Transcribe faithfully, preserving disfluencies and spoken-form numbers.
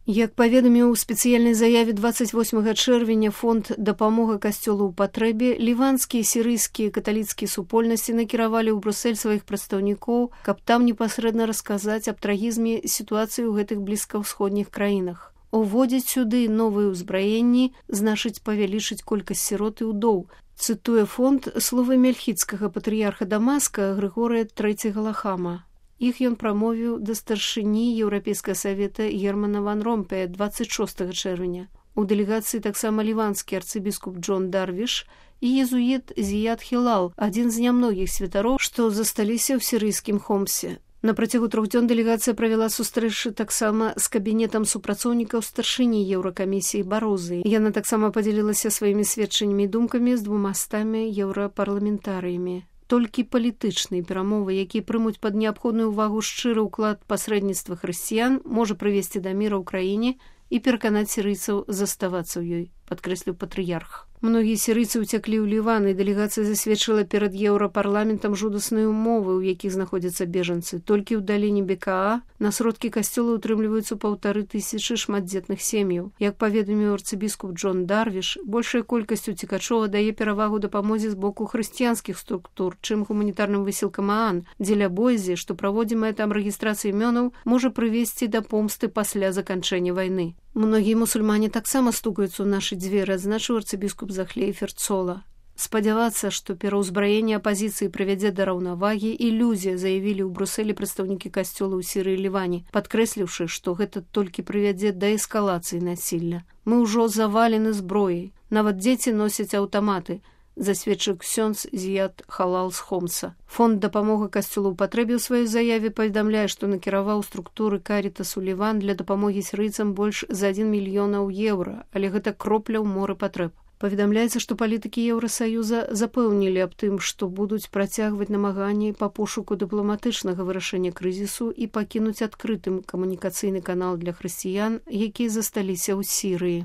Як паведаміў у спецыяльнай заяве дваццаць восьмага чэрвеня фонд дапамога касцёлу ў патрэбе, ліванскія, сірыйскія каталіцкія супольнасці накіравалі ў Брюссель сваіх прадстаўнікоў, каб там непасрэдна расказаць аб трагізме сітуацыі ў гэтых блізкаўсходніх краінах. Уводзіць сюды новыя ўзбраенні значыць павялічыць колькасць сірот і ўдоў. Цытуе фонд словы мельхіцкага патрыярха Дамаска Грыгорыя трэцяга Лахама. Іх ён прамовіў да старшыні Еўрапейскага савета Германа ван Ромпея дваццаць шостага чэрвеня. У дэлегацыі таксама ліванскі арцыбіскуп Джон Дарвіш і езуіт Зіяд Хілал, адзін з нямногіх святароў, што засталіся ў сірыйскім Хомсе. На працягу трох дзён дэлегацыя правяла сустрэчы таксама з кабінетам супрацоўнікаў старшыні Еўракамісіі Барозы. Яна таксама падзялілася сваімі сведчаннямі і думкамі з двумастамі еўрапарламентарыямі. Толькі палітычныя перамовы, якія прымуць пад неабходную ўвагу шчыры ўклад пасрэдніцтва хрысціян, можа прывесці да міра ў краіне і пераканаць сірыйцаў заставацца ў ёй, падкрэсліў патрыярх. Многія сірыйцы ўцяклі ў Ліван, і дэлегацыя засведчыла перад еўрапарламентам жудасныя ўмовы, у якіх знаходзяцца бежанцы. Толькі ў даліне Бекаа на сродкі касцёла ўтрымліваюцца паўтары тысячы шматдзетных сем'яў. Як паведаміў арцыбіскуп Джон Дарвіш, большая колькасць уцекачоў дае перавагу дапамозе з боку хрысціянскіх структур, чым гуманітарным высілкам ААН, дзеля боязі, што праводзімая там рэгістрацыя імёнаў можа прывесці да помсты пасля заканчэння вайны. Многія мусульмане таксама стукаюцца ў нашы дзверы, адзначыў арцыбіскуп Захлей Ферцола. Спадзявацца, што пераўзбраенне апазіцыі прывядзе да раўнавагі, ілюзія, заявілі ў Брюсселі прадстаўнікі касцёла ў Сірыі і Ліване, падкрэсліўшы, што гэта толькі прывядзе да эскалацыі насілля. Мы ўжо завалены зброяй. Нават дзеці носяць аўтаматы, засведчыў ксёндз Зіяд Халал з Хомса. Фонд дапамога касцёлу ў патрэбе ў сваёй заяве паведамляе, што накіраваў структуры Карітасу Ліван для дапамогі сірыйцам больш за адзін мільёнаў еўра, але гэта кропля ў моры патрэб. Паведамляецца, што палітыкі Еўрасаюза запэўнілі аб тым, што будуць працягваць намаганні па пошуку дыпламатычнага вырашэння крызісу і пакінуць адкрытым камунікацыйны канал для хрысціян, якія засталіся ў Сірыі.